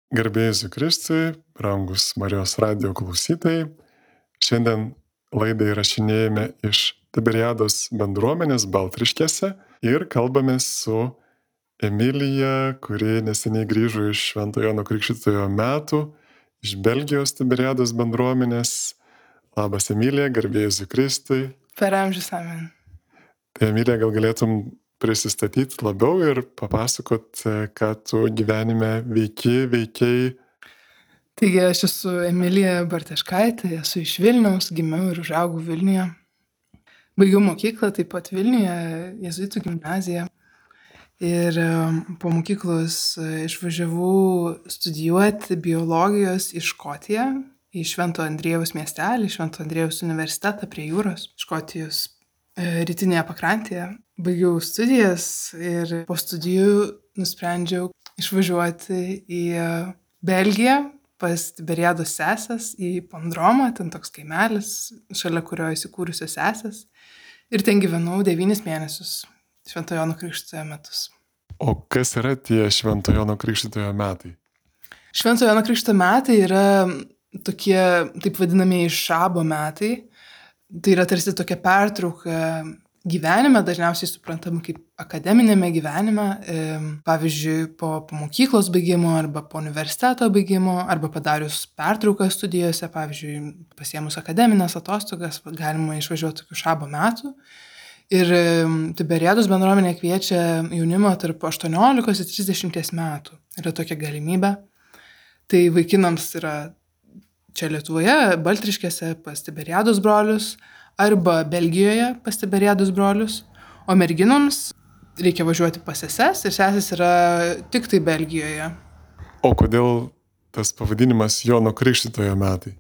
Garbė Jėzui Kristui, brangus Marijos radijo klausytojai. Šiandien laidą įrašinėjame iš Tiberiados bendruomenės Baltriškėse ir kalbamės su Emilija, kuri neseniai grįžo iš Švento Jono Krikštytojo metų, iš Belgijos Tiberiados bendruomenės. Labas Emilija, garbė Jėzui Kristui. Per amžius amen. Tai Emilija, gal galėtum prisistatyti labiau ir papasakot, ką tu gyvenime veikiai. Taigi aš esu Emilija Bartaškaitė, esu iš Vilniaus, gimiau ir užaugau Vilniuje. Baigiau mokyklą taip pat Vilniuje, jėzuitų gimnaziją. Ir po mokyklos išvažiavau studijuoti biologijos į Škotiją, į Švento Andriejaus miestelį, Švento Andriejaus universitetą prie jūros, Škotijos rytinėje pakrantėje. Baigiau studijas ir po studijų nusprendžiau išvažiuoti į Belgiją pas Tiberiados sesės į Pondromą, ten toks kaimelis, šalia kurio įsikūrusios sesės. Ir ten gyvenau 9 mėnesius, Švento Jono Krikštytojo metus. O kas yra tie Švento Jono Krikštytojo metai? Švento Jono Krikštytojo metai yra tokie, taip vadinamieji šabo metai. Tai yra tarsi tokia pertrauka gyvenime, dažniausiai suprantama kaip akademinėme gyvenime, pavyzdžiui, po mokyklos baigimo arba po universiteto baigimo, arba padarius pertrauką studijose, pavyzdžiui, pasiėmus akademinės atostogas, galima išvažiuoti tokių šabo metų. Ir Tiberiados bendruomenė kviečia jaunimą tarp 18 ir 30 metų. Yra tokia galimybė. Tai vaikinams yra čia Lietuvoje, Baltriškėse pas Tiberiados brolius, arba Belgijoje pas Tiberiados brolius, o merginoms reikia važiuoti pas seses ir sesės yra tik tai Belgijoje. O kodėl tas pavadinimas Jono Krikštytojo metai?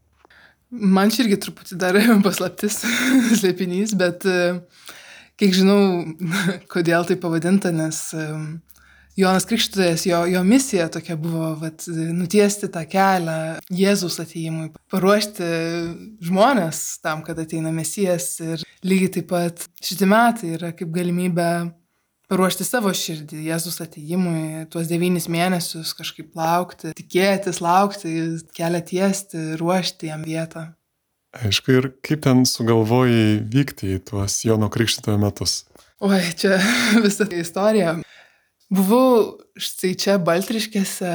Man čia irgi truputį dar paslaptis, slėpinys, bet kiek žinau, kodėl tai pavadinta, nes Jonas Krikštytojas, jo misija tokia buvo nutiesti tą kelią Jėzaus atėjimui, paruošti žmonės tam, kad ateina Mesijas. Ir lygiai taip pat šitie metai yra kaip galimybė paruošti savo širdį Jėzaus atėjimui, tuos 9 mėnesius kažkaip laukti, tikėtis, laukti, kelią tiesti, ruošti jam vietą. Aišku, ir kaip ten sugalvojai vykti į tuos Jono Krikštytojo metus? Oi, čia visa istorija. Buvau štai čia Baltriškėse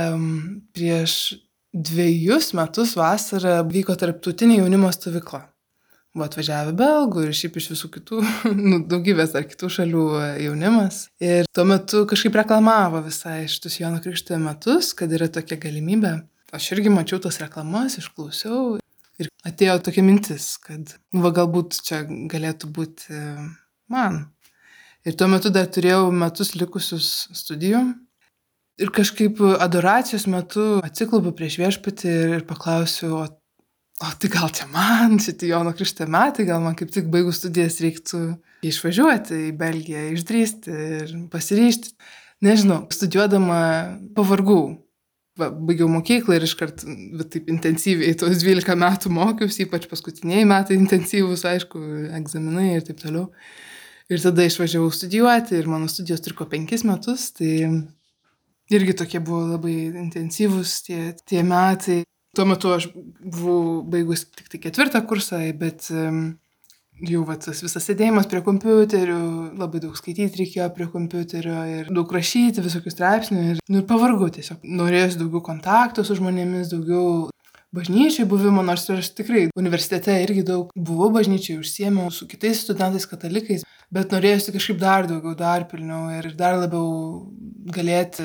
prieš 2 metus vasarą vyko tarptautinė jaunimo stovykla. Buvo atvažiavę belgų ir šiaip iš visų kitų, daugybės ar kitų šalių jaunimas. Ir tuo metu kažkaip reklamavo visai šitus Jono Krikštytojo metus, kad yra tokia galimybė. Aš irgi mačiau tas reklamas, išklausiau ir atėjo tokia mintis, kad galbūt čia galėtų būti man. Ir tuo metu dar turėjau metus likusius studijų. Ir kažkaip adoracijos metu atsiklaupiu prieš viešpatį ir paklausiu, o tai gal čia man, šitie Jono Krikštytojo metai, gal man kaip tik baigus studijas reiktų išvažiuoti į Belgiją, išdrįsti ir pasiryžti. Nežinau, studijuodama pavargau. Baigiau mokyklą ir iškart taip intensyviai tos 12 metų mokiausi, ypač paskutiniai metai intensyvūs, aišku, egzaminai ir taip toliau. Ir tada išvažiavau studijuoti ir mano studijos truko 5 metus, tai irgi tokie buvo labai intensyvūs tie metai. Tuo metu aš buvau baigus tik tai 4 kursą, bet jau tas visas sėdėjimas prie kompiuterių, labai daug skaityti reikėjo prie kompiuterio ir daug rašyti, visokių straipsnių ir pavargau tiesiog. Norėjusi daugiau kontaktų su žmonėmis, daugiau bažnyčiai buvimo, nors aš tikrai universitete irgi daug buvau bažnyčiai, užsiėmiau su kitais studentais katalikais, bet norėjusi kažkaip dar daugiau, dar pilniau ir dar labiau galėti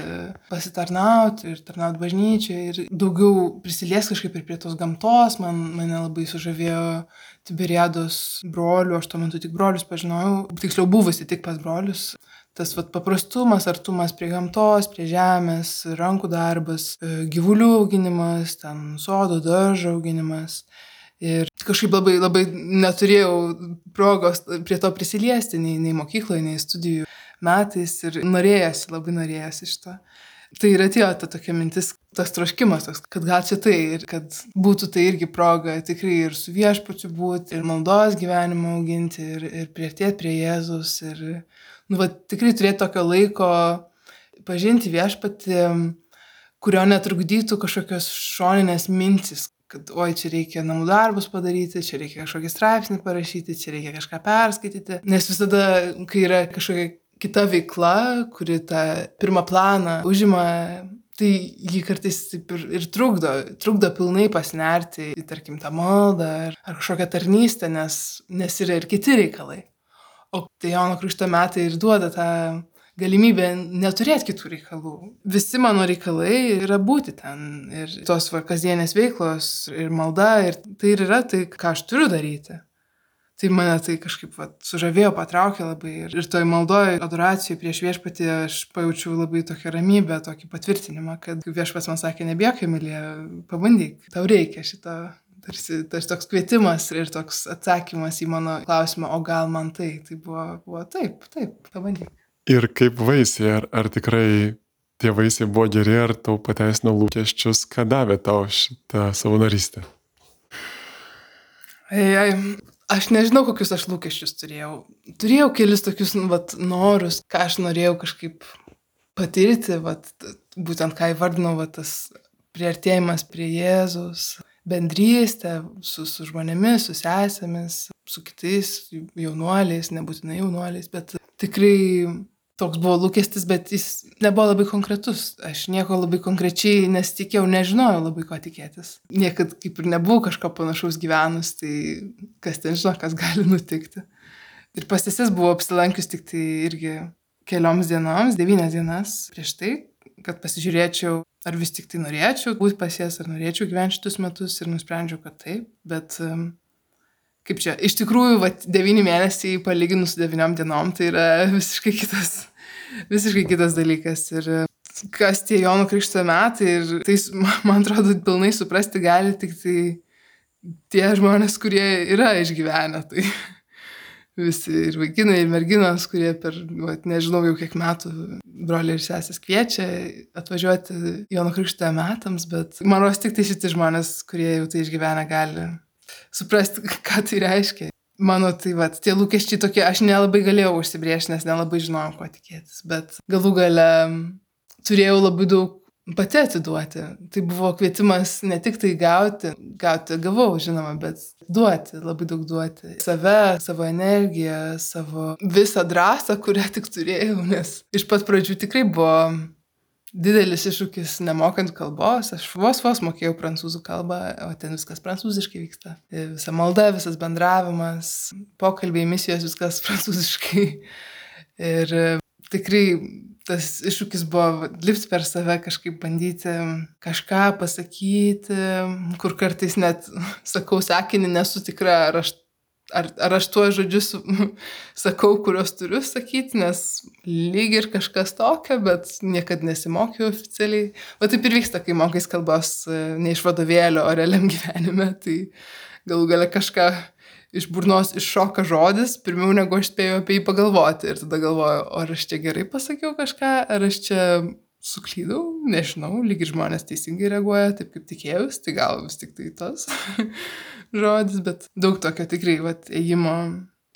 pasitarnauti ir tarnauti bažnyčiai ir daugiau prisilies kažkaip ir prie tos gamtos. Mane labai sužavėjo Tiberiados brolių, aš tuo metu tik brolius pažinojau, tiksliau buvusi tik pas brolius. Tas paprastumas, artumas prie gamtos, prie žemės, rankų darbas, gyvulių auginimas, ten sodo, daržo auginimas. Ir kažkaip labai neturėjau progos prie to prisiliesti, nei mokykloje, nei studijų metais ir labai norėjosi šito. Tai ir atėjo ta tokia mintis, tas troškimas, kad gal čia tai ir kad būtų tai irgi proga tikrai ir su viešpačiu būti, ir maldos gyvenimą auginti, ir priartėti prie Jėzus, ir tikrai turėti tokio laiko pažinti viešpatį, kurio netrukdytų kažkokios šoninės mintis, kad oi, čia reikia namų darbus padaryti, čia reikia kažkokį straipsnį parašyti, čia reikia kažką perskaityti. Nes visada, kai yra kažkokia kita veikla, kuri tą pirmą planą užima, tai jį kartais taip ir trukdo pilnai pasinerti į, tarkim, tą maldą ar kažkokią tarnystę, nes yra ir kiti reikalai. O tai Jono Krikšto metai ir duoda tą galimybę neturėti kitų reikalų. Visi mano reikalai yra būti ten. Ir tos kasdienės veiklos, ir malda, ir tai ir yra tai, ką aš turiu daryti. Tai mane tai kažkaip sužavėjo, patraukė labai. Ir toj maldoj, adoracijoj prieš viešpatį aš pajaučiau labai tokią ramybę, tokį patvirtinimą, kad viešpats man sakė, nebijok, Emilija, pabandyk, tau reikia šito. Tarsi toks kvietimas ir toks atsakymas į mano klausimą, o gal man tai buvo taip, pabandyk. Ir kaip vaisiai, ar tikrai tie vaisiai buvo geri, ar tau pateisino lūkesčius, ką davė tau šitą savanorystę? Aš nežinau, kokius aš lūkesčius turėjau. Turėjau kelis tokius norus, ką aš norėjau kažkaip patirti, būtent ką įvardinau, tas priartėjimas prie Jėzus, bendrystė su žmonėmis, su sesėmis, su kitais jaunuoliais, nebūtinai jaunuoliais, bet tikrai toks buvo lūkestis, bet jis nebuvo labai konkretus. Aš nieko labai konkrečiai nesitikėjau, nežinojau labai ko tikėtis. Niekad kaip ir nebuvau kažko panašaus gyvenus, tai kas ten žino, kas gali nutikti. Ir pas seses buvau apsilankius tik tai irgi kelioms dienoms, 9 dienas prieš tai, kad pasižiūrėčiau, ar vis tik tai norėčiau būti pas jas, ar norėčiau gyventi šitus metus ir nusprendžiau, kad taip. Bet kaip čia, iš tikrųjų, 9 mėnesiai palyginus su 9 dienom, tai yra visiškai kitas dalykas. Ir kas tie Jono Krikšto metai, ir tai, man atrodo, pilnai suprasti gali tik tai tie žmonės, kurie yra išgyvenę. Tai visi ir vaikinai, ir merginos, kurie per, nežinau jau kiek metų broliai ir sesės kviečia atvažiuoti Jono Krikšto metams, bet man rodos tik tai šitie žmonės, kurie jau tai išgyvena, gali suprasti, ką tai reiškia. Mano tai tie lūkesčiai tokie, aš nelabai galėjau užsibrėžti, nes nelabai žinojau, ko tikėtis, bet galų gale turėjau labai daug pati atiduoti. Tai buvo kvietimas ne tik tai gauti, gavau, žinoma, bet duoti, labai daug duoti. Save, savo energiją, savo visą drąsą, kurią tik turėjau, nes iš pat pradžių tikrai buvo didelis iššūkis nemokant kalbos. Aš vos mokėjau prancūzų kalbą, o ten viskas prancūziškai vyksta. Visa malda, visas bendravimas, pokalbiai, misijos, viskas prancūziškai. Ir tikrai tas iššūkis buvo lipti per save, kažkaip bandyti kažką pasakyti, kur kartais net sakau sakinį, nesu tikra, ar aš tuos žodžius sakau, kuriuos turiu sakyti, nes lyg ir kažkas tokio, bet niekad nesimokiau oficialiai. O taip ir vyksta, kai mokais kalbos ne iš vadovėlio, o realiam gyvenime, tai galų gale kažką iš burnos iššoka žodis, pirmiau negu aš spėjau apie jį pagalvoti. Ir tada galvoju, ar aš čia gerai pasakiau kažką, ar aš čia suklydau, nežinau, lyg ir žmonės teisingai reaguoja, taip kaip tikėjus, tai gal vis tik tai tas žodis, bet daug tokio tikrai ėjimo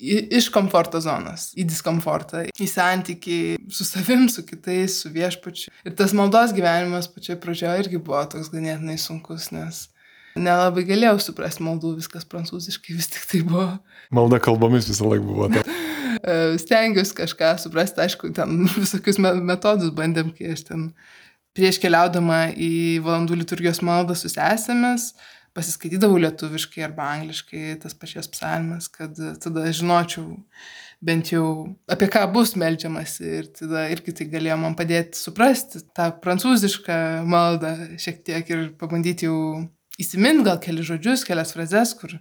iš komforto zonos, į diskomfortą, į santykį su savim, su kitais, su viešpačiu. Ir tas maldos gyvenimas pačioje pradžioje irgi buvo toks ganėtinai sunkus, nes nelabai galėjau suprasti maldų, viskas prancūziškai vis tik tai buvo. Malda kalbomis visą laiką buvo. Stengiausi kažką suprasti, aišku, ten visokius metodus bandėm, kai aš ten prieš keliaudama į valandų liturgijos maldą su sesėmis, pasiskaitydavau lietuviškai arba angliškai tas pačias psalmes, kad tada žinočiau bent jau apie ką bus meldžiamasi ir tada irgi tai galėjo man padėti suprasti tą prancūzišką maldą šiek tiek ir pabandyti jau įsimint gal kelius žodžius, kelias frazes, kur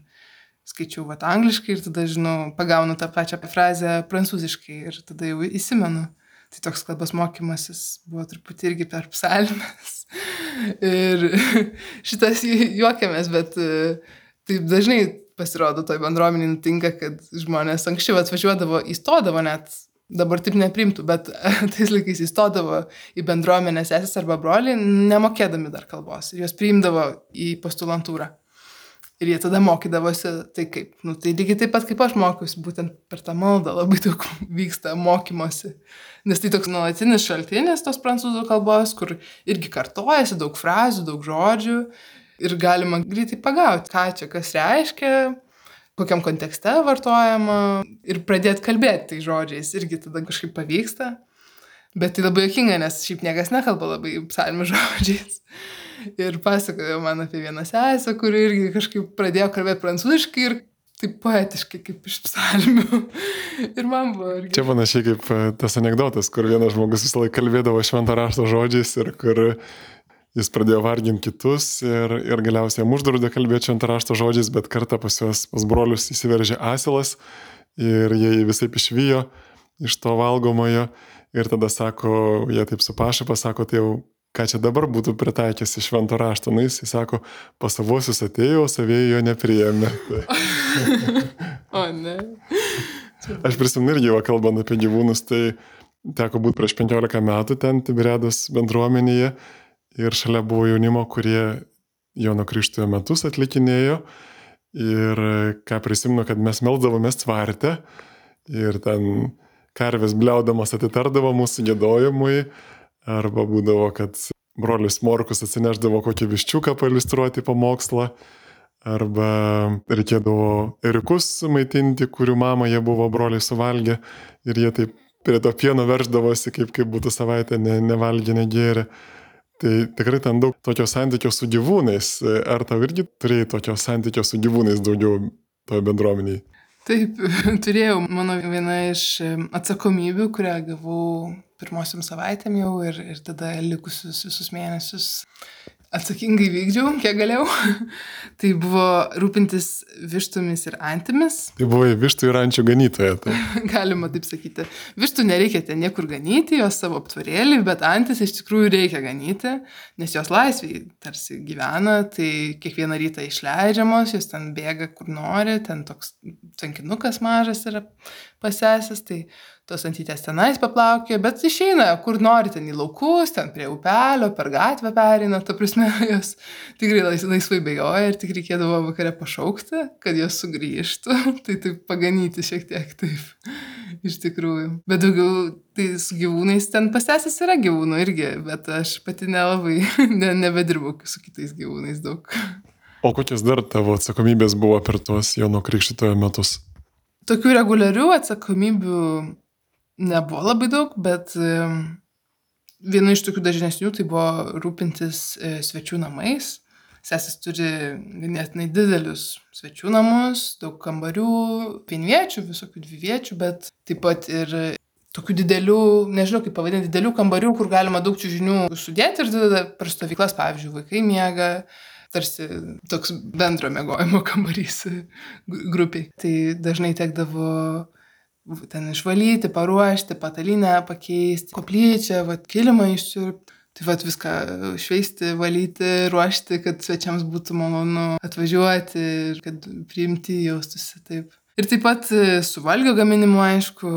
skaičiau angliškai ir tada, žinau, pagaunu tą pačią frazę prancūziškai ir tada jau įsimenu. Tai toks kalbos mokymasis buvo truputį irgi per psalmes. Ir šitas juokiamės, bet taip dažnai pasirodo toj bendruomenėj nutinka, kad žmonės anksčiau atvažiuodavo, įstodavo net, dabar taip neprimtų, bet tais laikais įstodavo į bendruomenę sesės arba broliai, nemokėdami dar kalbos. Ir juos priimdavo į postulantūrą. Ir jie tada mokydavosi, tai kaip, tai lygiai taip pat kaip aš mokiausi, būtent per tą maldą labai daug vyksta mokymosi. Nes tai toks nuolatinis šaltinis tos prancūzų kalbos, kur irgi kartojasi daug frazių, daug žodžių ir galima greitai pagauti, ką čia kas reiškia, kokiam kontekste vartojama ir pradėti kalbėti tai žodžiais, irgi tada kažkaip pavyksta. Bet tai labai juokinga, nes šiaip niekas nekalba labai psalmių žodžiais. Ir pasakojo man apie vieną sesę, kuri irgi kažkaip pradėjo kalbėti prancūziškai ir taip poetiškai kaip iš psalmių. Ir man buvo irgi... Čia panašiai kaip tas anekdotas, kur vienas žmogus visą laiką kalbėdavo švento rašto žodžiais ir kur jis pradėjo varginti kitus ir galiausiai jam uždraudė kalbėti švento rašto žodžiais, bet kartą pas brolius įsiveržė asilas ir jie visai išvijo iš to valgomojo. Ir tada sako, jie taip su pašaipa, sako, tai jau ką čia dabar būtų pritaikęs iš švento rašto. Nu, jis sako, pas savosius atėjo, o savieji jo nepriėmė. O ne. Aš prisimenu irgi, kalbant apie gyvūnus, tai teko būti prieš 15 metų ten Tiberiados bendruomenėje ir šalia buvo jaunimo, kurie Jono Krikštytojo metus atlikinėjo ir ką prisimenu, kad mes melsdavomės tvarte ir ten karvės bliaudamas atitardavo mūsų giedojimui, arba būdavo, kad brolis Morkus atsineždavo kokį viščiuką pailiustruoti pamokslą, arba reikėdavo ėriukus maitinti, kurių mamą jie buvo broliai suvalgę ir jie taip prie to pieno verždavosi, kaip būtų savaitę nevalgę, negėrę. Tai tikrai ten daug tokio santykio su gyvūnais. Ar tau irgi turėjai tokio santykio su gyvūnais daugiau toje bendruomenėje? Taip, turėjau mano viena iš atsakomybių, kurią gavau pirmosiam savaitėm jau ir tada likusius visus mėnesius atsakingai vykdžiau, kiek galėjau. Tai buvo rūpintis vištomis ir antimis. Tai buvo vištų ir ančių ganytoja. Tai. Galima taip sakyti. Vištų nereikia ten niekur ganyti, jos savo aptvarėlį, bet antis iš tikrųjų reikia ganyti, nes jos laisviai tarsi gyvena, tai kiekvieną rytą išleidžiamos, jos ten bėga kur nori, ten toks tvenkinukas mažas yra pasesęs, tai tos antytės tenais paplaukė, bet išeina, kur nori, ten į laukus, ten prie upelio, per gatvę pereina, ta prasme, jos tikrai laisvai bėgioja ir tik reikėdavo vakare pašaukti, kad jos sugrįžtų, tai taip paganyti šiek tiek taip, iš tikrųjų. Bet daugiau, tai su gyvūnais ten pasesęs yra gyvūnų irgi, bet aš pati nelabai nebedirbau su kitais gyvūnais daug. O kokios dar tavo atsakomybės buvo per tuos Jono Krikštytojo metus? Tokių reguliarių atsakomybių nebuvo labai daug, bet viena iš tokių dažnesnių tai buvo rūpintis svečių namais. Sesės turi ganėtinai didelius svečių namus, daug kambarių, vienviečių, visokių dviviečių, bet taip pat ir tokių didelių, nežinau kaip pavadinti, didelių kambarių, kur galima daug čiužinių sudėti ir tada per stovyklas, pavyzdžiui, vaikai miega, tarsi toks bendro miegojimo kambarys grupiai. Tai dažnai tekdavo ten išvalyti, paruošti, patalynę pakeisti, koplyčią, kilimą išsiurbti. Tai viską šveisti, valyti, ruošti, kad svečiams būtų malonu atvažiuoti ir kad priimti jaustųsi taip. Ir taip pat su valgio gaminimu, aišku,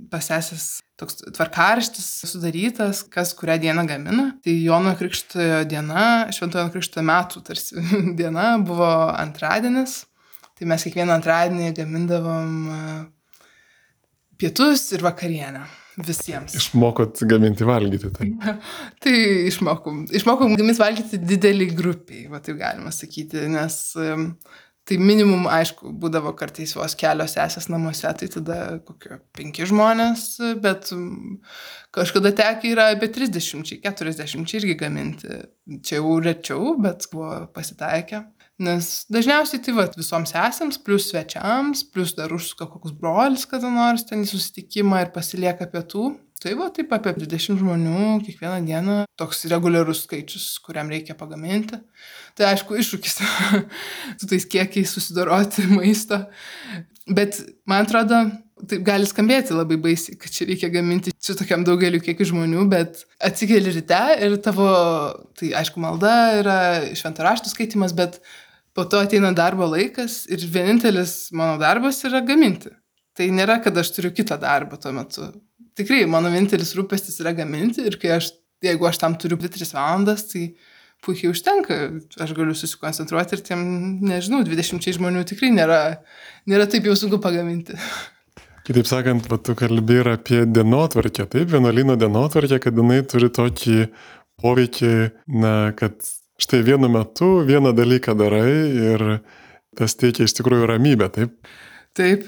pasesęs toks tvarkaraštis sudarytas, kas kurią dieną gamina. Tai Jono Krikštytojo diena, Šventojo Jono Krikštytojo metų tarsi diena buvo antradienis. Tai mes kiekvieną antradienį gamindavom pietus ir vakarienę visiems. Išmokot gaminti valgyti. Tai, tai išmokom gaminti valgyti didelį grupiai, taip galima sakyti, nes tai minimum, aišku, būdavo kartais vos kelios sesės namuose, tai tada kokio 5 žmonės, bet kažkada tekę yra apie 30-40 irgi gaminti. Čia jau rečiau, bet buvo pasitaikę. Nes dažniausiai tai visoms sesėms, plus svečiams, plus dar užsuka kokius brolis kada nors ten į susitikimą ir pasilieka pietų. Tai taip apie 20 žmonių kiekvieną dieną, toks reguliarus skaičius, kuriam reikia pagaminti. Tai aišku, iššūkis su tais kiekiais susidoroti maisto. Bet man atrodo, taip gali skambėti labai baisiai, kad čia reikia gaminti su tokiam daugeliu kiekių žmonių, bet atsikeli ryte ir tavo, tai aišku, malda yra švento rašto skaitimas, bet po to ateina darbo laikas ir vienintelis mano darbas yra gaminti. Tai nėra, kad aš turiu kitą darbą tuo metu. Tikrai, mano vienintelis rūpestis yra gaminti ir jeigu aš tam turiu 2-3 valandas, tai puikiai užtenka. Aš galiu susikoncentruoti ir tiem, nežinau, 20 žmonių tikrai nėra taip jau sunku pagaminti. Kitaip sakant, tu kalbi ir apie dienotvarkę, taip, vienuolyno dienotvarkę, kad jinai turi tokį poveikį, kad štai vienu metu vieną dalyką darai ir tas teikia iš tikrųjų ramybę, taip? Taip,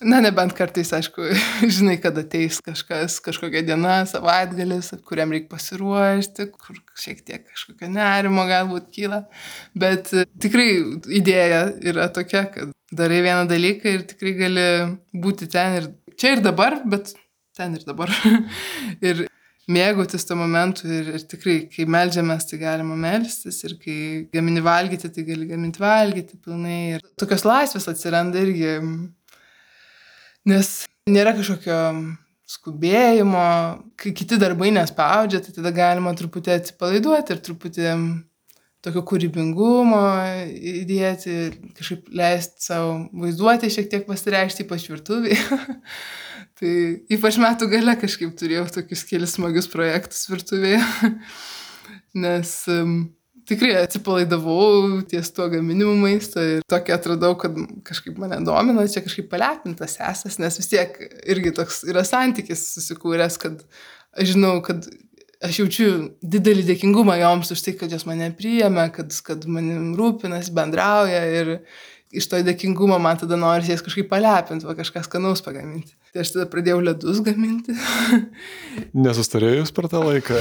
nebent kartais, aišku, žinai, kad ateis kažkokia diena, savaitgalis, kuriam reikia pasiruošti, kur šiek tiek kažkokio nerimo galbūt kyla, bet tikrai idėja yra tokia, kad darai vieną dalyką ir tikrai gali būti ten ir čia ir dabar, bet ten ir dabar. Ir mėgautis to momentu ir tikrai, kai meldžiamės, tai galima melstis ir kai gamini valgyti, tai gali gaminti valgyti pilnai. Ir tokios laisvės atsiranda irgi, nes nėra kažkokio skubėjimo, kai kiti darbai nespaudžia, tai tada galima truputį atsipalaiduoti ir truputį tokio kūrybingumo įdėti, kažkaip leisti savo vaizduoti, šiek tiek pasireikšti, ypač virtuvėje. Tai ypač metų gale kažkaip turėjau tokius kelis smagius projektus virtuvėje, nes tikrai atsipalaidavau ties tuo gaminimu maisto ir tokį atradau, kad kažkaip mane domina, čia kažkaip palepintas sesas, nes vis tiek irgi toks yra santykis susikūręs, kad aš žinau, kad aš jaučiu didelį dėkingumą joms už tai, kad jos mane priėmė, kad manim rūpinasi, bendrauja ir iš to dėkingumo man tada norisi jas kažkaip palepinti, kažką skanaus pagaminti. Tai aš tada pradėjau ledus gaminti. Nesustarėjus per tą laiką?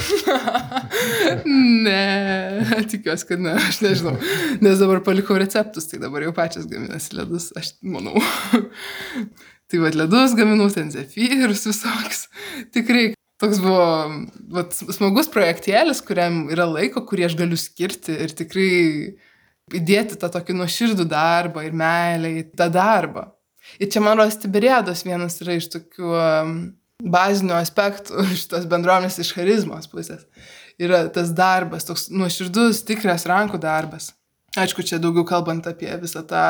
Ne, tikiuosi, kad ne, aš nežinau. Nes dabar palikau receptus, tai dabar jau pačias gaminasi ledus, aš manau. Tai ledus gaminau, ten zefyrus visoks. Tikrai. Toks buvo smagus projektėlis, kuriam yra laiko, kurį aš galiu skirti ir tikrai įdėti tą tokį nuoširdų darbą ir meilę į tą darbą. Ir čia, man rodos, Tiberiados vienas yra iš tokių bazinių aspektų šitos bendruomenės iš charizmos pusės. Yra tas darbas, toks nuoširdus, tikras rankų darbas. Aišku, čia daugiau kalbant apie visą tą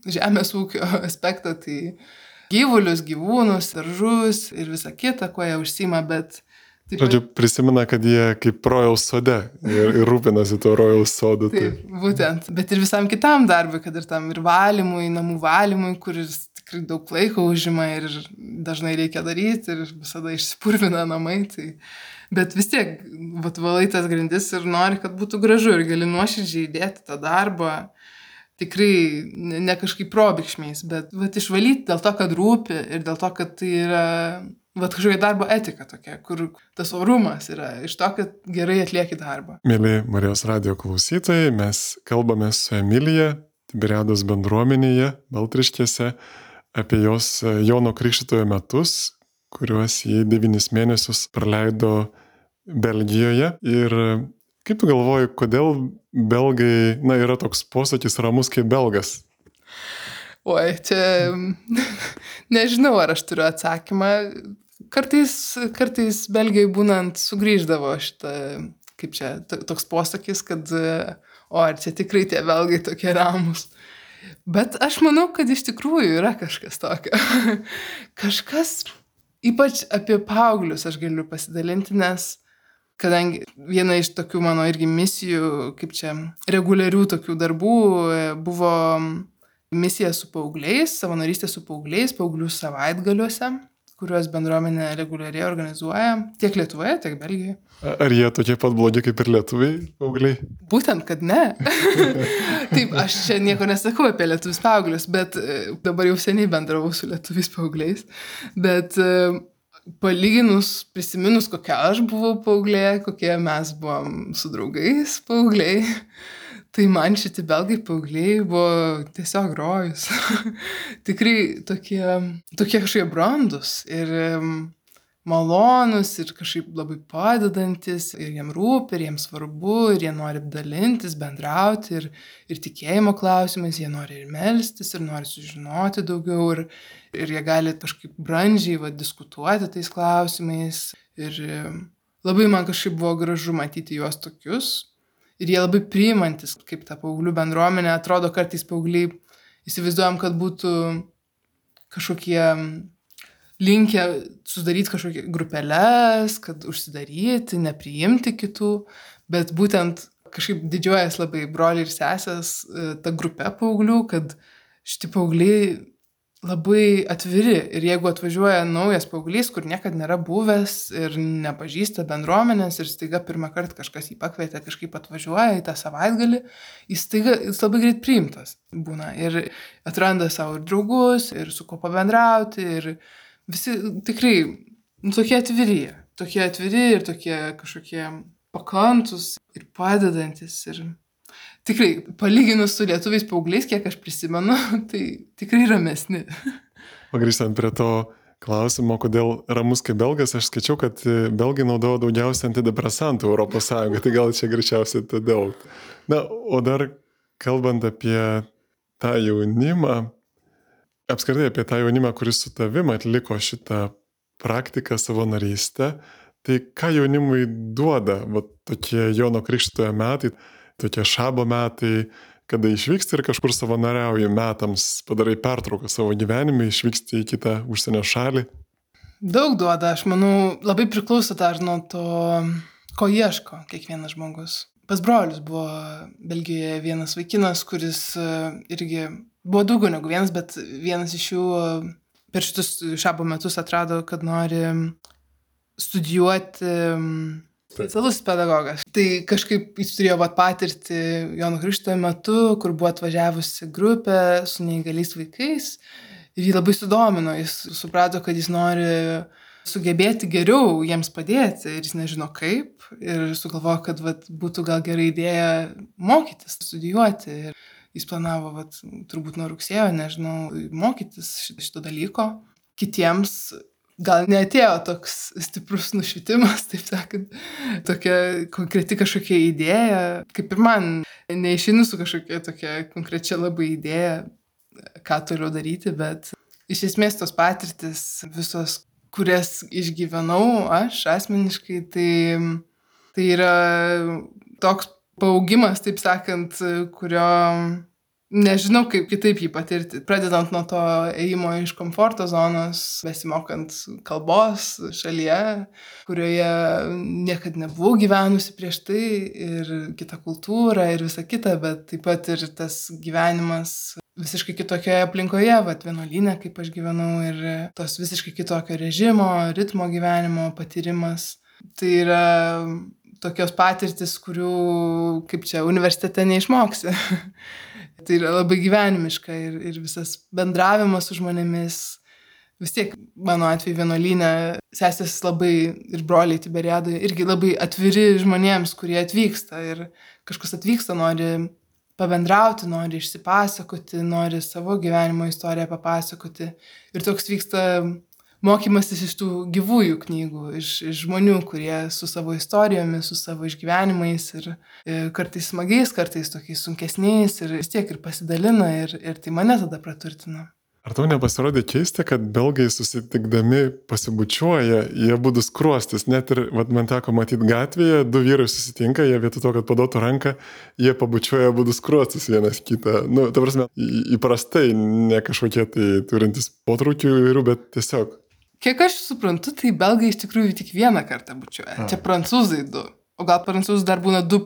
žemės ūkio aspektą, tai gyvulius, gyvūnus, daržus ir visą kitą, kuo jie užsiima, bet... Žodžiu, prisimena, kad jie kaip rojaus sode ir rūpinasi tuo rojaus sodu. Taip, būtent. Bet ir visam kitam darbui, kad ir tam ir valymui, namų valymui, kuris tikrai daug laiko užima ir dažnai reikia daryti ir visada išsipurvina namai. Tai... Bet vis tiek, valai tas grindis ir nori, kad būtų gražu ir gali nuoširdžiai įdėti tą darbą. Tikrai ne kažkaip probėgšmiais, bet išvalyti dėl to, kad rūpi ir dėl to, kad tai yra kažkokia darbo etika tokia, kur tas orumas yra iš to, kad gerai atlieki darbą. Mėly Marijos radijo klausytojai, mes kalbame su Emilija Tiberiados bendruomenėje Baltriškėse apie jos Jono Krikštytojo metus, kuriuos jie 9 mėnesius praleido Belgijoje. Ir kaip tu galvoji, kodėl belgai, yra toks posakis ramus kaip belgas? Oi, čia nežinau, ar aš turiu atsakymą. Kartais Belgijai būnant sugrįždavo šitą, kaip čia, toks posakis, kad ar čia tikrai tie belgai tokie ramus. Bet aš manau, kad iš tikrųjų yra kažkas tokio. Kažkas, ypač apie paauglius aš galiu pasidalinti, nes kadangi viena iš tokių mano irgi misijų, kaip čia, reguliarių tokių darbų buvo misija su paaugliais, savanorystė su paaugliais, paauglių savaitgaliuose, kuriuos bendruomenė reguliariai organizuoja tiek Lietuvoje, tiek Belgijoje. Ar jie tokie pat blogi kaip ir lietuviai, paaugliai? Būtent, kad ne. Taip, aš čia nieko nesakau apie lietuvius paauglius, bet dabar jau seniai bendravau su lietuviais paaugliais, bet... Palyginus, prisiminus, kokia aš buvau paauglė, kokie mes buvom su draugais paaugliai, tai man šiti belgai paaugliai buvo tiesiog rojus. Tikrai tokie kažkokie brandus ir malonus ir kažkaip labai padedantis ir jiem rūpi, ir jiem svarbu, ir jie nori dalintis, bendrauti ir tikėjimo klausimais, jie nori ir melstis, ir nori sužinoti daugiau, ir jie gali kažkaip brandžiai diskutuoti tais klausimais. Ir labai man kažkaip buvo gražu matyti juos tokius. Ir jie labai priimantis, kaip ta paauglių bendruomenė. Atrodo, kartais paaugliai įsivaizduojam, kad būtų kažkokie linkę sudaryti kažkokias grupeles, kad užsidaryti, nepriimti kitų. Bet būtent, kažkaip didžiuojas labai broliai ir sesės ta grupė paauglių, kad šitie paaugliai labai atviri ir jeigu atvažiuoja naujas paauglys, kur niekada nėra buvęs ir nepažįsta bendruomenės ir staiga pirmą kartą kažkas jį pakvietė, kažkaip atvažiuoja į tą savaitgalį, jis labai greit priimtas būna ir atranda savo ir draugus, ir su kuo pabendrauti ir visi tikrai tokie atviri ir tokie kažkokie pakantus ir padedantis ir tikrai, palyginus su lietuviais paaugliais, kiek aš prisimenu, tai tikrai ramesni. O grįžtant prie to klausimo, kodėl ramus kaip belgas, aš skaičiau, kad belgai naudojo daugiausiai antidepresantų Europos Sąjungoje, tai gal čia greičiausiai todėl. Na, o dar kalbant apie tą jaunimą, apskritai apie tą jaunimą, kuris su tavim atliko šitą praktiką savanorystę, tai ką jaunimui duoda, va, tokie Jono Krikštytojo metai, tokie šabo metai, kada išvyksti ir kažkur savanoriauji metams, padarai pertrauką savo gyvenime, išvyksti į kitą užsienio šalį? Daug duoda, aš manau, labai priklauso dar nuo to, ko ieško kiekvienas žmogus. Pas brolius buvo Belgijoje vienas vaikinas, kuris irgi buvo daugiau negu vienas, bet vienas iš jų per šitus šabo metus atrado, kad nori studijuoti specialus pedagogas. Tai kažkaip jis turėjo patirti Jono Krikštytojo metu, kur buvo atvažiavusi grupė su neįgaliais vaikais ir jį labai sudomino. Jis suprato, kad jis nori sugebėti geriau jiems padėti ir jis nežino kaip ir sugalvojo, kad būtų gal gera idėja mokytis, studijuoti. Ir jis planavo turbūt nuo rugsėjo, nežinau, mokytis šito dalyko. Kitiems gal neatėjo toks stiprus nušvitimas, taip sakant, tokia konkreti kažkokia idėja, kaip ir man, neišeinu su kažkokia tokia konkrečia labai idėja, ką toliau daryti, bet iš esmės tos patirtis visos, kurias išgyvenau aš asmeniškai, tai yra toks paaugimas, taip sakant, kurio nežinau, kaip kitaip jį patirti. Pradedant nuo to ėjimo iš komforto zonos, besimokant kalbos šalyje, kurioje niekad nebuvau gyvenusi prieš tai ir kita kultūra ir visa kita, bet taip pat ir tas gyvenimas visiškai kitokioje aplinkoje, vienuolyne, kaip aš gyvenau ir tos visiškai kitokio režimo, ritmo gyvenimo patyrimas. Tai yra tokios patirtis, kurių kaip čia universitete neišmoksi. Tai yra labai gyvenimiška ir visas bendravimas su žmonėmis. Vis tiek, mano atveju vienuolyne, sesės labai ir broliai Tiberiadoje irgi labai atviri žmonėms, kurie atvyksta. Ir kažkas atvyksta, nori pabendrauti, nori išsipasakoti, nori savo gyvenimo istoriją papasakoti. Ir toks vyksta mokymasis iš tų gyvųjų knygų, iš žmonių, kurie su savo istorijomis, su savo išgyvenimais ir kartais smagiais, kartais tokiais sunkesniais ir vis tiek ir pasidalina ir tai mane tada praturtina. Ar tau nepasirodė keista, kad belgai susitikdami pasibučiuoja, jie būdų skruostis, net ir man teko matyti gatvėje, du vyrai susitinka, jie vietoj to, kad paduotų ranką, jie pabučiuoja būdų skruostis vienas kitą. Nu, ta prasme, įprastai, ne kažkokie tai turintys potraukių įvairių, bet tiesiog. Kiek aš suprantu, tai belgai iš tikrųjų tik vieną kartą bučiuoja. Čia prancūzai 2. O gal prancūzai dar būna 2+,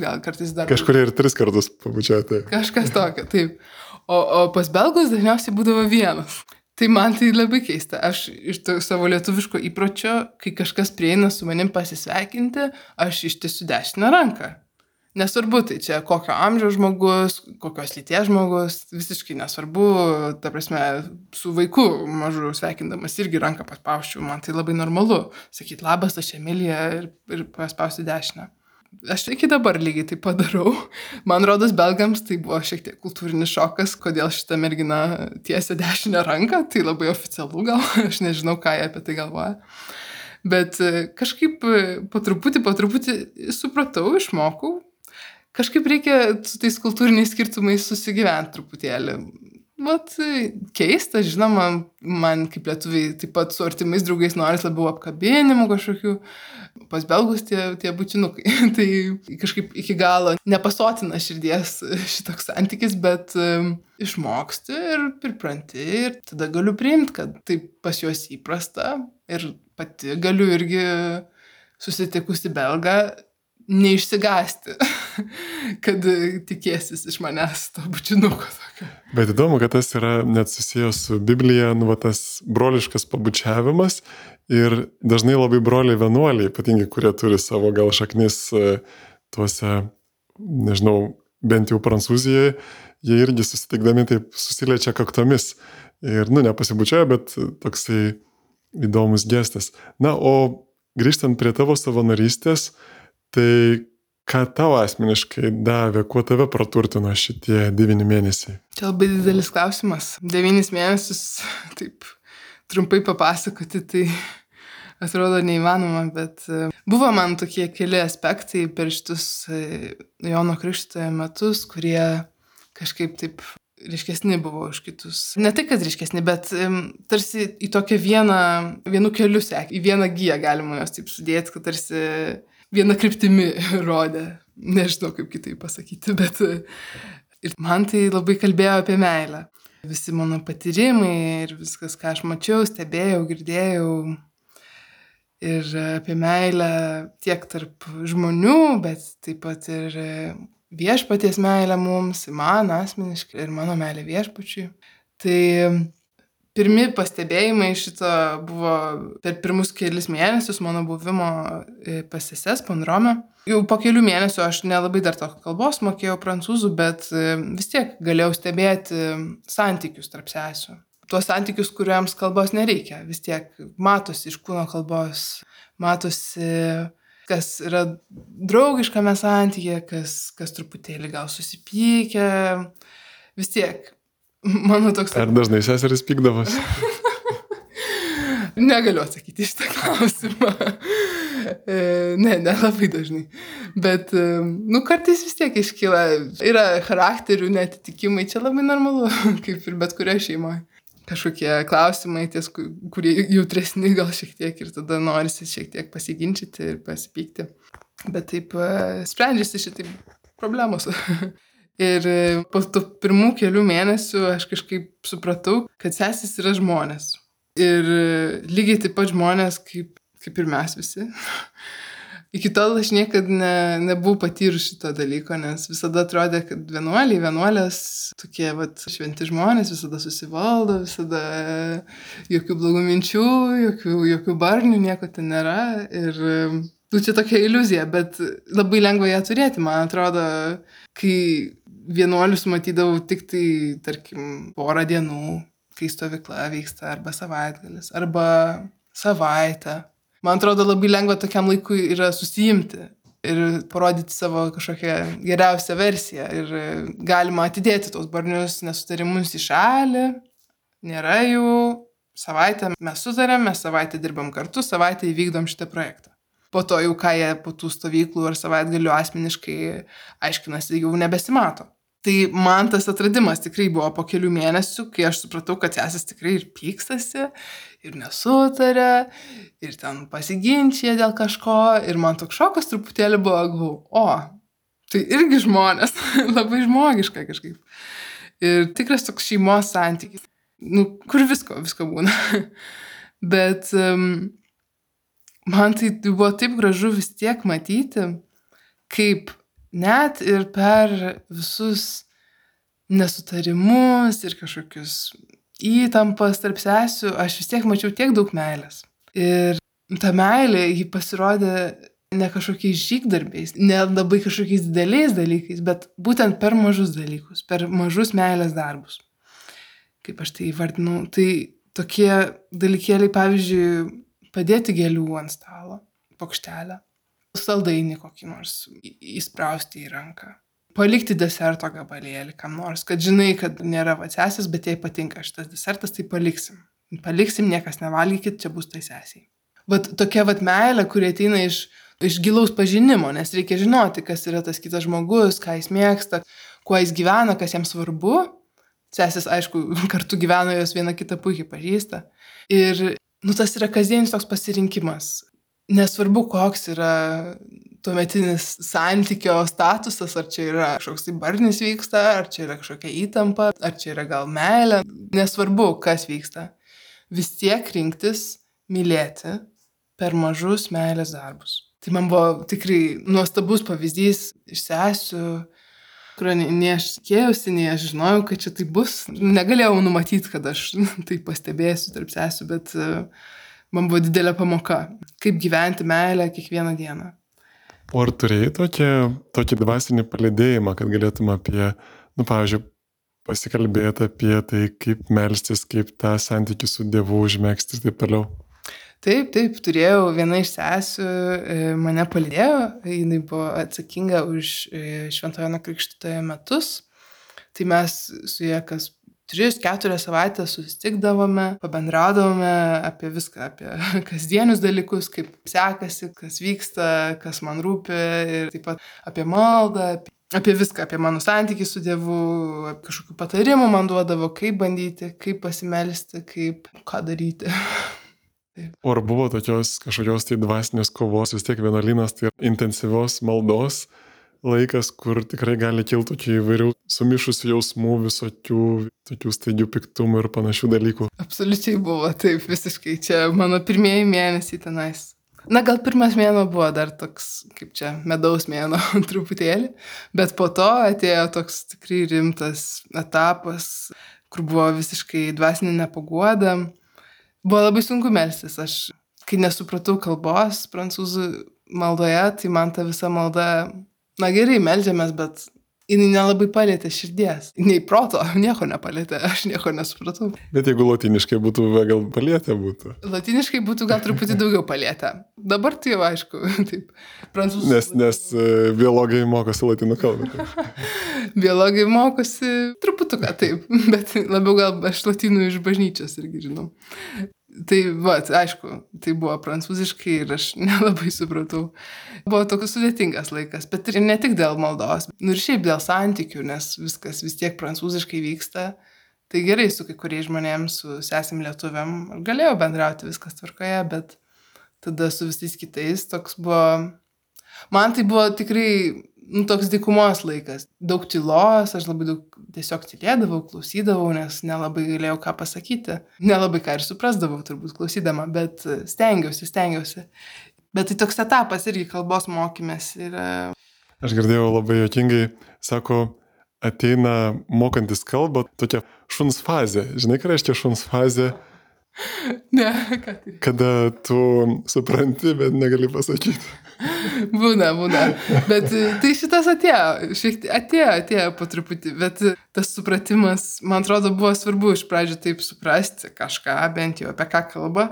gal kartais dar. Kažkurie ir 3 kartus pabučiuoja. Tai. Kažkas tokio, taip. O pas belgus dažniausiai būdavo vienas. Tai man tai labai keista. Aš iš savo lietuviško įpročio, kai kažkas prieina su manim pasisveikinti, aš ištiesiu dešinę ranką. Nesvarbu, tai čia kokio amžiaus žmogus, kokios lyties žmogus, visiškai nesvarbu, ta prasme, su vaiku mažu sveikindamas irgi ranką paspausčiau, man tai labai normalu. Sakyt labas, aš Emilija ir paspausti dešinę. Aš iki dabar lygiai tai padarau. Man rodos, belgams tai buvo šiek tiek kultūrinis šokas, kodėl šita mergina tiesia dešinę ranką, tai labai oficialu gal, aš nežinau, ką jie apie tai galvoja. Bet kažkaip po truputį supratau, išmokau. Kažkaip reikia su tais kultūriniais skirtumais susigyventi truputėlį. Keista, žinoma, man kaip lietuviai taip pat su artimais draugais noris labiau apkabinimų kažkokių. Pas belgus tie bučinukai. Tai kažkaip iki galo nepasotina širdies šitoks santykis, bet išmoksti ir pripranti ir tada galiu priimti, kad tai pas juos įprasta ir pati galiu irgi susitikusi belgą neišsigąsti. kad tikėsis iš manęs to bučinuko tokio. Bet įdomu, kad tas yra net susijęs su Biblija, tas broliškas pabučiavimas ir dažnai labai broliai vienuoliai, ypatingai, kurie turi savo gal šaknis tuose, nežinau, bent jau Prancūzijoje, jie irgi susitikdami taip susiliečia kaktomis ir, nepasibučiuoja, bet toksai įdomus gestas. O grįžtant prie tavo savanorystės, tai ką tau asmeniškai davė, kuo tave praturtino šitie 9 mėnesiai? Čia labai didelis klausimas. 9 mėnesius, taip trumpai papasakoti, tai atrodo neįmanoma, bet buvo man tokie keli aspektai per šitus Jono Krikštytojo metus, kurie kažkaip taip ryškesni buvo už kitus. Ne tai, kad ryškesni, bet tarsi į tokią vienu keliu sekė, į vieną giją galima jos taip sudėti, kad tarsi viena kryptimi rodė. Nežinau, kaip kitaip pasakyti, bet ir man tai labai kalbėjo apie meilę. Visi mano patyrimai ir viskas, ką aš mačiau, stebėjau, girdėjau. Ir apie meilę tiek tarp žmonių, bet taip pat ir viešpaties meilę mums, man asmeniškai ir mano meilė viešpačiui. Tai pirmi pastebėjimai šito buvo per pirmus kelis mėnesius mano buvimo pas seses Pondrome. Jau po kelių mėnesių aš nelabai dar to kalbos mokėjau prancūzų, bet vis tiek galėjau stebėti santykius tarp sesių. Tuos santykius, kuriams kalbos nereikia. Vis tiek matosi iš kūno kalbos, matosi, kas yra draugiškame santyke, kas truputėlį gal susipykę. Vis tiek, mano toks... Ar dažnai seseris pykdavos? Negaliu atsakyti šitą klausimą. Ne labai dažnai. Bet, kartais vis tiek iškyla. Yra charakterių neatitikimai, čia labai normalu, kaip ir bet kurioje šeimoje. Kažkokie klausimai, kurie jautresni gal šiek tiek ir tada norisi šiek tiek pasiginčyti ir pasipykti. Bet taip sprendžiasi šitaip problemos. Ir po tų pirmų kelių mėnesių aš kažkaip supratau, kad sesės yra žmonės. Ir lygiai taip pat žmonės kaip ir mes visi. Iki tol aš niekada nebuvau patyrus šito dalyko, nes visada atrodė, kad vienuolės, tokie šventi žmonės, visada susivaldo, visada jokių blogų minčių, jokių barnių, nieko ten nėra. Ir čia tokia iliuzija, bet labai lengva ją turėti, man atrodo, kai vienuolius matydavau tik tai, tarkim, porą dienų, kai stovykla vyksta, arba savaitgalis, arba savaitę. Man atrodo, labai lengva tokiam laikui yra susijimti ir parodyti savo kažkokią geriausią versiją. Ir galima atidėti tos barnius nesutarimus į šalį. Nėra jų. Savaitę mes sutarėm, mes savaitę dirbam kartu, savaitę įvykdom šitą projektą. Po to jau ką jie po tų stovyklų ar savaitgalių asmeniškai aiškinasi, jau nebesimato. Tai man tas atradimas tikrai buvo po kelių mėnesių, kai aš supratau, kad sesės tikrai ir pykstasi, ir nesutarė, ir ten pasiginčia dėl kažko. Ir man toks šokas truputėlį buvo, tai irgi žmonės, labai žmogiška kažkaip. Ir tikras toks šeimos santykis, kur visko būna. Bet man tai buvo taip gražu vis tiek matyti, kaip net ir per visus nesutarimus ir kažkokius įtampas tarp sesių, aš vis tiek mačiau tiek daug meilės. Ir ta meilė, ji pasirodė ne kažkokiais žygdarbiais, ne labai kažkokiais dideliais dalykais, bet būtent per mažus dalykus, per mažus meilės darbus. Kaip aš tai įvardinau, tai tokie dalykėliai, pavyzdžiui, padėti gėlių ant stalo, plokštelę. Saldainį kokį nors įsprausti į ranką. Palikti deserto gabalėlį kam nors, kad žinai, kad nėra sesės, bet jai patinka šitas desertas, tai paliksim. Paliksim, niekas nevalgykit, čia bus tai sesiai. Tokia meilė, kuri ateina iš gilaus pažinimo, nes reikia žinoti, kas yra tas kitas žmogus, ką jis mėgsta, kuo jis gyvena, kas jam svarbu. Sesės, aišku, kartu gyvena, jos viena kitą puikiai pažįsta. Ir tas yra kasdienis toks pasirinkimas. Nesvarbu, koks yra tuometinis santykio statusas, ar čia yra kažkoks tai barnis vyksta, ar čia yra kažkokia įtampa, ar čia yra gal meilė. Nesvarbu, kas vyksta. Vis tiek rinktis mylėti per mažus meilės darbus. Tai man buvo tikrai nuostabus pavyzdys iš sesių, kurio nei aš tikėjausi, nei aš žinojau, kad čia tai bus. Negalėjau numatyti, kad aš tai pastebėsiu tarp sesių, bet man buvo didelė pamoka, kaip gyventi meilę kiekvieną dieną. O ar turėjai tokį dvasinį palydėjimą, kad galėtum apie, pavyzdžiui, pasikalbėti apie tai, kaip melstis, kaip tą santykį su Dievu užmegzti ir taip toliau? Taip, turėjau viena iš sesių, mane palydėjo, jinai buvo atsakinga už Šventojo Jono Krikštytojo metus, tai mes su ja kas 3-4 savaitės susitikdavome, pabendraudavome apie viską, apie kasdienius dalykus, kaip sekasi, kas vyksta, kas man rūpi ir taip pat apie maldą, apie viską, apie mano santykį su Dievu, kažkokių patarimų man duodavo, kaip bandyti, kaip pasimelsti, ką daryti. O ar buvo kažkokios tai dvasinės kovos, vis tiek vienuolynas tai intensyvios maldos laikas, kur tikrai gali kilti tokių įvairių sumišusių jausmų, visokių tokių staigių piktumų ir panašių dalykų? Absoliučiai buvo, taip, visiškai. Čia mano pirmieji mėnesiai tenais. Gal pirmas mėnuo buvo dar toks, kaip čia, medaus mėnuo truputėlį, bet po to atėjo toks tikrai rimtas etapas, kur buvo visiškai dvasinė nepaguoda. Buvo labai sunku melstis. Aš, kai nesupratau kalbos prancūzų maldoje, tai man ta visa malda, gerai, meldžiamės, bet jinai nelabai palėtė širdies. Nei proto, nieko nepalėtė, aš nieko nesupratau. Bet jeigu latiniškai būtų, gal palėtė būtų? Latiniškai būtų gal truputį daugiau palėtę. Dabar tai jau aišku, taip. Prancūzų. Nes biologai mokosi latinų kalbą. Biologai mokosi truputuką, taip, bet labiau gal aš latinų iš bažnyčios irgi žinau. Tai, aišku, tai buvo prancūziškai ir aš nelabai supratau. Buvo toks sudėtingas laikas, bet ir ne tik dėl maldos, ir šiaip dėl santykių, nes viskas vis tiek prancūziškai vyksta. Tai gerai su kai kuriais žmonėms, su sesim lietuviam, galėjau bendrauti, viskas tvarkoje, bet tada su visais kitais toks buvo... Man tai buvo tikrai toks dykumos laikas. Daug tylos, aš labai daug tiesiog tylėdavau, klausydavau, nes nelabai galėjau ką pasakyti. Nelabai ką ir suprasdavau turbūt klausydama, bet stengiausi. Bet tai toks etapas irgi kalbos mokymės. Aš girdėjau labai juokingai, sako, ateina mokantis kalbą tokia šuns fazė. Žinai, ką reiškia šuns fazė? Ne, ką tai? Kada tu supranti, bet negali pasakyti. Būna. Bet tai šitas atėjo po truputį, bet tas supratimas, man atrodo, buvo svarbu iš pradžių taip suprasti kažką, bent jau apie ką kalba,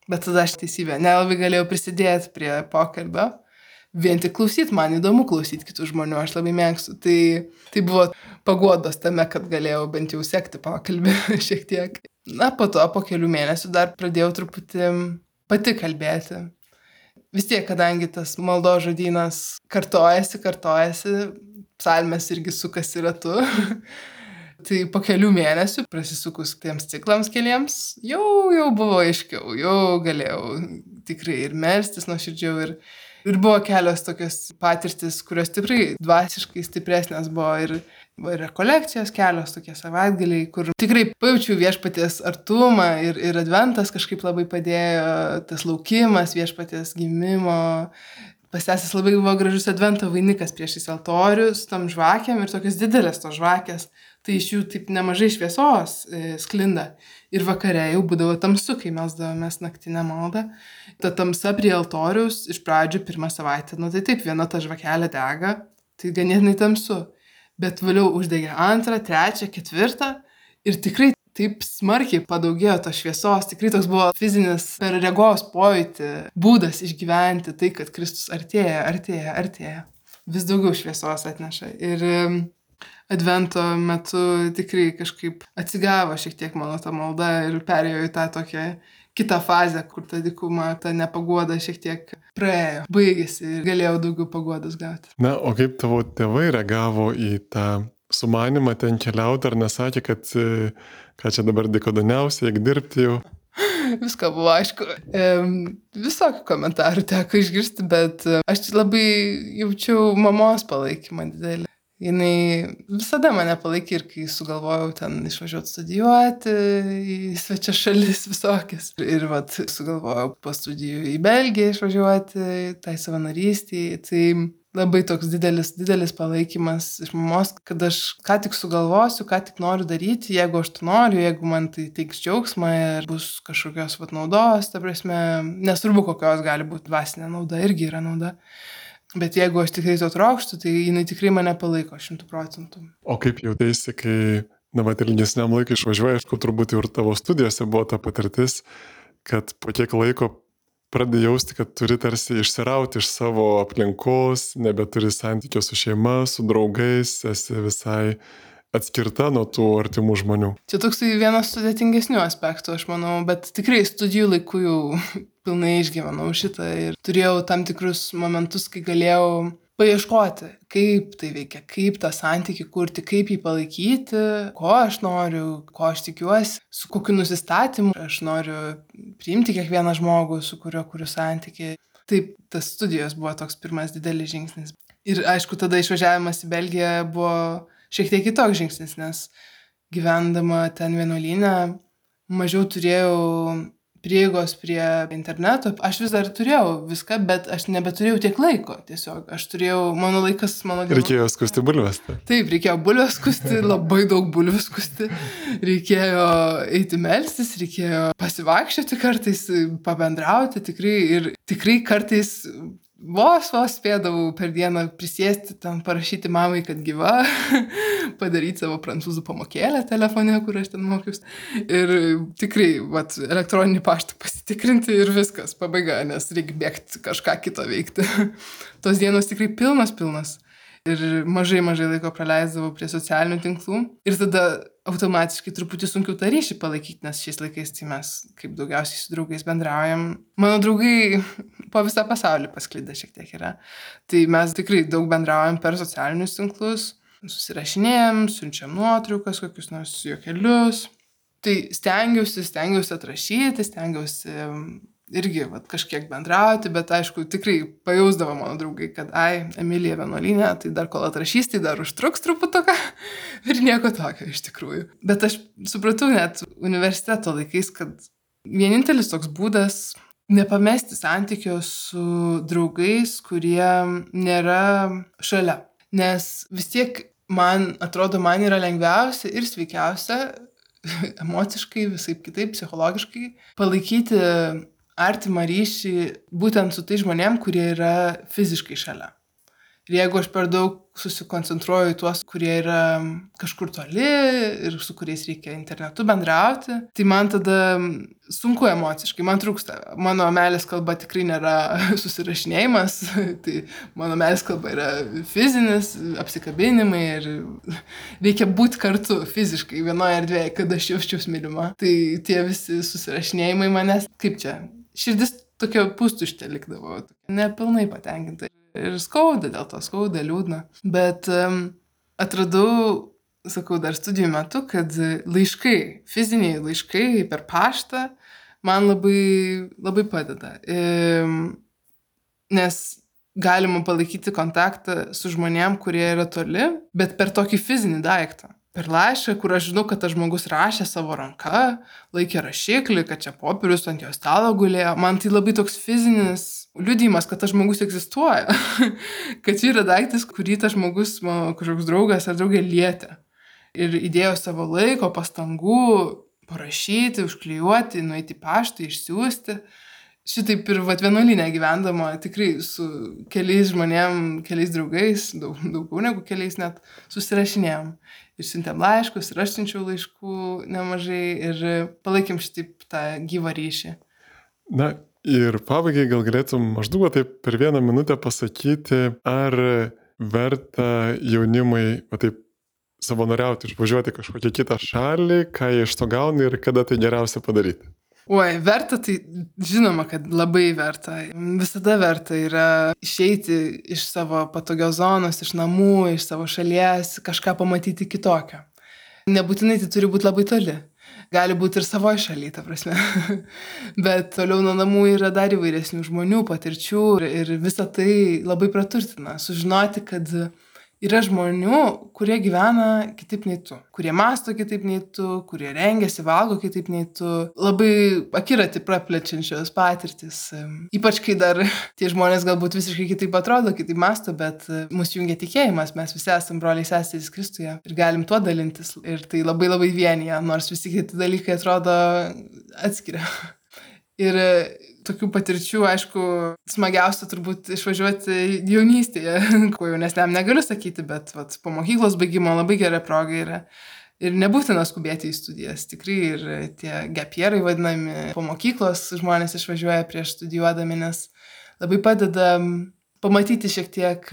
bet tada aš teisybė, nelabai galėjau prisidėti prie pokalbio, vien tik klausyti, man įdomu klausyti kitų žmonių, aš labai mėgstu, tai buvo paguodos tame, kad galėjau bent jau sekti pokalbį šiek tiek. Po to, po kelių mėnesių dar pradėjau truputį pati kalbėti. Vis tiek, kadangi tas maldos žodynas kartojasi, psalmės irgi sukasi ratu, tai po kelių mėnesių, prasisukus tiems ciklams keliems, jau buvo aiškiau, jau galėjau tikrai ir melstis nuoširdžiau ir buvo kelios tokios patirtis, kurios tikrai dvasiškai stipresnės buvo ir rekolekcijos kelios tokie savaitgaliai, kur tikrai pajaučiau viešpaties artumą ir adventas kažkaip labai padėjo, tas laukimas viešpaties gimimo. Pas seses labai buvo gražus advento vainikas priešais altorių su tom žvakėm ir tokios didelės tos žvakės, tai iš jų taip nemažai šviesos sklinda. Ir vakare jau būdavo tamsu, kai melsdavomės naktinę maldą. Ta tamsa prie altoriaus iš pradžių pirmą savaitę, tai taip, viena ta žvakelė dega, tai ganėtinai tamsu. Bet vėliau uždegė 2, 3, 4 ir tikrai taip smarkiai padaugėjo tos šviesos, tikrai toks buvo fizinis per regos pojūtį būdas išgyventi tai, kad Kristus artėja. Vis daugiau šviesos atneša. Ir advento metu tikrai kažkaip atsigavo šiek tiek mano ta malda ir perėjo į tą tokią kitą fazę, kur ta dykuma, ta nepaguoda šiek tiek praėjo, baigėsi ir galėjau daugiau paguodos gauti. Na, o kaip tavo tėvai reagavo į tą sumanimą ten keliauti, ar nesakė, kad ką čia dabar dykodoniausia, eik dirbti jau? Viską buvo aišku. Visokių komentarų teko išgirsti, bet aš labai jaučiau mamos palaikymą didelį. Jinai visada mane palaikė ir kai sugalvojau ten išvažiuoti studijuoti į svečias šalis visokias. Ir vat sugalvojau po studijų į Belgiją išvažiuoti, tai savanorystėje. Tai labai toks didelis palaikymas iš mamos, kad aš ką tik sugalvosiu, ką tik noriu daryti, jeigu aš to noriu, jeigu man tai teiks džiaugsmą ir bus kažkokios vat naudos, ta prasme, nesvarbu kokios gali būti dvasinė nauda, irgi yra nauda. Bet jeigu aš tikrai to trokštu, tai jinai tikrai mane palaiko 100%. O kaip jautėsi, kai, vat ilgesniam laikui išvažiuoji, aišku, turbūt ir tavo studijose buvo ta patirtis, kad po kiek laiko pradedi jausti, kad turi tarsi išsirauti iš savo aplinkos, nebeturi santykio su šeima, su draugais, esi visai atskirta nuo tų artimų žmonių. Čia toksai vienas sudėtingesnių aspektų, aš manau, bet tikrai studijų laikų jau pilnai išgyvenau šitą ir turėjau tam tikrus momentus, kai galėjau paieškoti, kaip tai veikia, kaip tą santykį kurti, kaip jį palaikyti, ko aš noriu, ko aš tikiuosi, su kokiu nusistatymu aš noriu priimti kiekvieną žmogų, su kuriuo kuriu santykį. Taip, tas studijos buvo toks pirmas didelis žingsnis. Ir aišku, tada išvažiavimas į Belgiją buvo šiek tiek kitoks žingsnis, nes gyvendama ten vienuolyne mažiau turėjau prieigos prie interneto. Aš vis dar turėjau viską, bet aš nebeturėjau tiek laiko tiesiog. Aš turėjau, mano laikas, Reikėjo skusti bulves. Taip, reikėjo bulves skusti, labai daug bulvių skusti. Reikėjo eiti melstis, reikėjo pasivaikščioti kartais, pabendrauti tikrai. Ir tikrai kartais vos spėdavau per dieną prisėsti, ten parašyti mamai, kad gyva, padaryti savo prancūzų pamokėlę telefone, kur aš ten mokiausi. Ir tikrai, elektroninį paštą pasitikrinti ir viskas, pabaiga, nes reikia bėgti kažką kito veikti. Tos dienos tikrai pilnas. Ir mažai laiko praleisdavau prie socialinių tinklų. Ir tada automatiškai truputį sunkiau tą ryšį palaikyti, nes šiais laikais tai mes kaip daugiausiai su draugais bendraujam. Mano draugai po visą pasaulį pasklidę šiek tiek yra. Tai mes tikrai daug bendraujam per socialinius tinklus, susirašinėjam, siunčiam nuotraukas, kokius nors juokelius. Tai stengiausi atrašyti, stengiausi irgi kažkiek bendrauti, bet aišku, tikrai pajausdavo mano draugai, kad Emilija vienuolyne, tai dar kol atrašys, tai dar užtruks truputuką ir nieko tokio iš tikrųjų. Bet aš supratau net universiteto laikais, kad vienintelis toks būdas nepamesti santykio su draugais, kurie nėra šalia. Nes vis tiek man yra lengviausia ir sveikiausia emociškai, visaip kitaip, psichologiškai palaikyti artimą ryšį būtent su tai žmonėm, kurie yra fiziškai šalia. Ir jeigu aš per daug susikoncentruoju į tuos, kurie yra kažkur toli ir su kuriais reikia internetu bendrauti, tai man tada sunku emociškai, man trūksta. Mano meilės kalba tikrai nėra susirašinėjimas, tai mano meilės kalba yra fizinis, apsikabinimai ir reikia būti kartu fiziškai vienoje erdvėje, kad aš jausčiausi mylima. Tai tie visi susirašinėjimai manęs, kaip čia, širdis tokia pustuštė likdavo, nepilnai patenkinta. Ir skauda, dėl to skauda, liūdna. Bet atradau, sakau, dar studijų metu, kad laiškai, fiziniai laiškai per paštą man labai padeda. Nes galima palaikyti kontaktą su žmonėm, kurie yra toli, bet per tokį fizinį daiktą. Per laišką, kur aš žinau, kad tas žmogus rašė savo ranka, laikė rašiklį, kad čia popierius ant jo stalo gulėjo. Man tai labai toks fizinis liudijimas, kad tas žmogus egzistuoja. Kad čia yra daiktas, kurį tas žmogus, mano kažkoks draugas ar draugė lietė. Ir įdėjo savo laiko, pastangų parašyti, užklijuoti, nueiti į paštą, išsiųsti. Šitaip ir vienuolyne gyvendama tikrai su keliais žmonėm, keliais draugais, daugiau negu keliais net, susirašinėjom. Ir siuntėm laiškus, ir aš siunčiau laiškų nemažai ir palaikėm šitaip tą gyvą ryšį. Na ir pabaigai gal galėtum maždaug taip per 1 minutę pasakyti, ar verta jaunimui taip savanoriauti, išvažiuoti kažkokią kitą šalį, ką jie iš to gauna ir kada tai geriausia padaryti. Oi, verta, tai žinoma, kad labai verta. Visada verta yra išeiti iš savo patogios zonos, iš namų, iš savo šalies, kažką pamatyti kitokio. Nebūtinai tai turi būti labai toli. Gali būti ir savoje šalyje, ta prasme. Bet toliau nuo namų yra dar įvairesnių žmonių, patirčių ir visa tai labai praturtina. Sužinoti, kad Yra žmonių, kurie gyvena kitaip nei tu, kurie mąsto kitaip nei tu, kurie rengiasi, valgo kitaip nei tu. Labai akiratį praplečiančios patirtis. Ypač kai dar tie žmonės galbūt visiškai kitaip atrodo, kitaip mąsto, bet mus jungia tikėjimas, mes visi esame broliai seserys Kristuje ir galim tuo dalintis. Ir tai labai labai vienyje, nors visi kiti dalykai atrodo atskiria. Ir tokių patirčių, aišku, smagiausia turbūt išvažiuoti jaunystėje, ko jaunesniam negaliu sakyti, bet po mokyklos baigimo labai gera proga yra. Ir nebūtina skubėti į studijas, tikrai ir tie gapierai vadinami, po mokyklos žmonės išvažiuoja prieš studijuodami, nes labai padeda pamatyti šiek tiek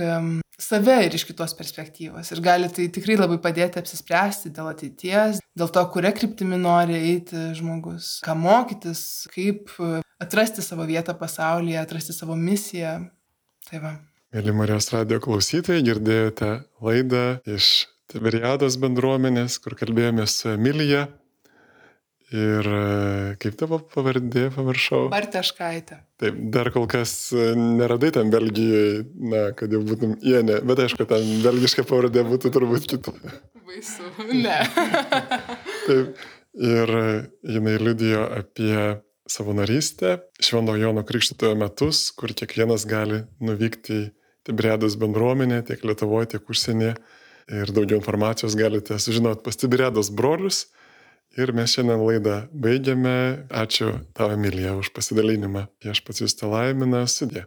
save ir iš kitos perspektyvos. Ir gali tai tikrai labai padėti apsispręsti dėl ateities, dėl to, kuria kryptimi nori eiti žmogus, ką mokytis, kaip atrasti savo vietą pasaulyje, atrasti savo misiją. Tai va. Mėly Marijos radijo klausytojai, girdėjote laidą iš Tiberiados bendruomenės, kur kalbėjome su Emilija. Ir kaip tavo pavardė, pamiršau? Barteškaitė. Taip, dar kol kas neradai ten Belgijoje, kad jau būtum Ienė, bet aišku, ten belgiška pavardė būtų turbūt kita. Baisu, ne. Taip, ir jinai liudijo apie savanorystę Švento Jono Krikštytojo metus, kur kiekvienas gali nuvykti į Tiberiados bendruomenę, tiek Lietuvoje, tiek užsienyje. Ir daugiau informacijos galite sužinoti pas Tiberiados brolius. Ir mes šiandien laidą baigiame. Ačiū tau, Emilija, už pasidalinimą. Viešpats jus te laimina. Sudie.